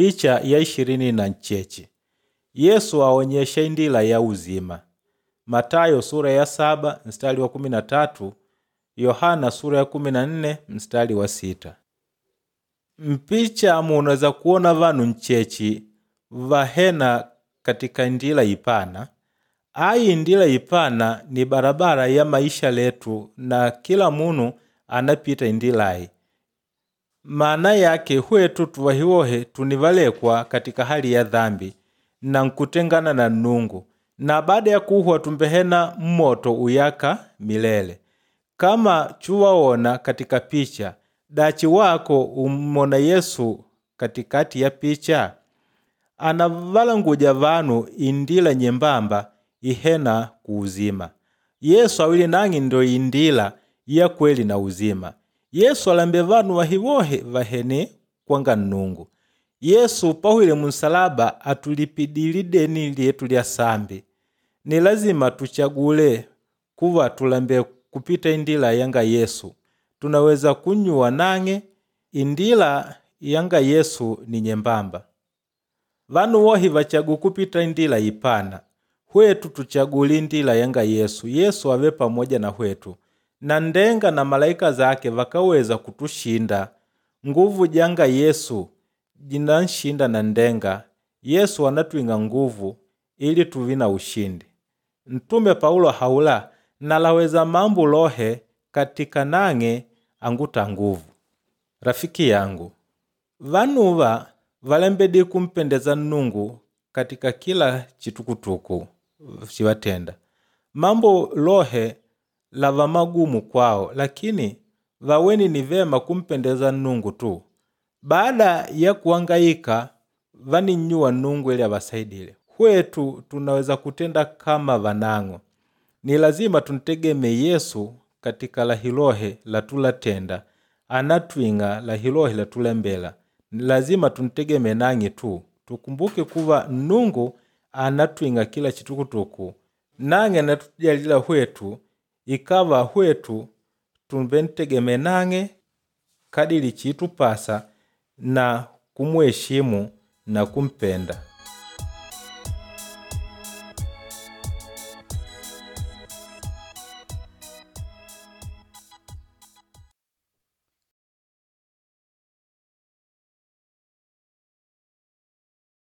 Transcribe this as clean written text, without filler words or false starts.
Picha ya 26. Yesu aonyesha indila ya uzima. Matayo sura ya 7 mstari wa 13, Yohana sura ya 14 mstari wa 6. Mpicha munaweza kuona vanu nchechi vahena katika ndila ipana. Ayi ndila ipana ni barabara ya maisha letu na kila munu anapita indilayi. Maana yake hwetu tuwahiwohe tunivalekwa katika hali ya dhambi na nkutengana na Nungu, na baada ya kuhwa tumbehena mmoto uyaka milele. Kama chuwaona katika picha, dachi wako umona Yesu katikati ya picha? Anavalanguja vanu indila nyembamba ihena kuuzima. Yesu awili nang'i ndo indila ya kweli na uzima. Yesu alambe vanu wahiwohe vahene kwanga Nnungu. Yesu pahwile munsalaba atulipidile deni lyetu lya sambi. Ni lazima tuchagule kuva tulambe kupita indila yanga Yesu. Tunaweza kunyuwa nang'e indila yanga Yesu ni nyembamba. Vanu wohi vachagu kupita indila ipana. Hwetu tuchagule indila yanga Yesu. Yesu ave pamoja na hwetu. Na ndenga na malaika zake vakaweza kutushinda. Nguvu janga Yesu jinanshinda na ndenga. Yesu anatwinga nguvu ili tuvi na ushindi. Mtume Paulo haula nalaweza mambo lohe katika nang'e anguta nguvu. Rafiki yangu, vanuva valembedi kumpendeza Nnungu katika kila chitukutuku chivatenda. Mambo lohe lava magumu kwao, lakini vaweni ni vema kumpendeza Nnungu tu. Baada ya kuhangaika vaninnyuwa Nnungu ili avasaidile. Hwetu tunaweza kutenda kama vanang'o. Ni lazima tuntegeme Yesu katika lahilohe latulatenda, anatwing'a lahilohe latulembela. Ni lazima tuntegeme nang'e tu. Tukumbuke kuva Nnungu anatwing'a kila chitukutuku, nang'e anatujalila hwetu, ikava hwetu tumbentegeme nang'e kadiri chitupasa na kumuheshimu na kumpenda.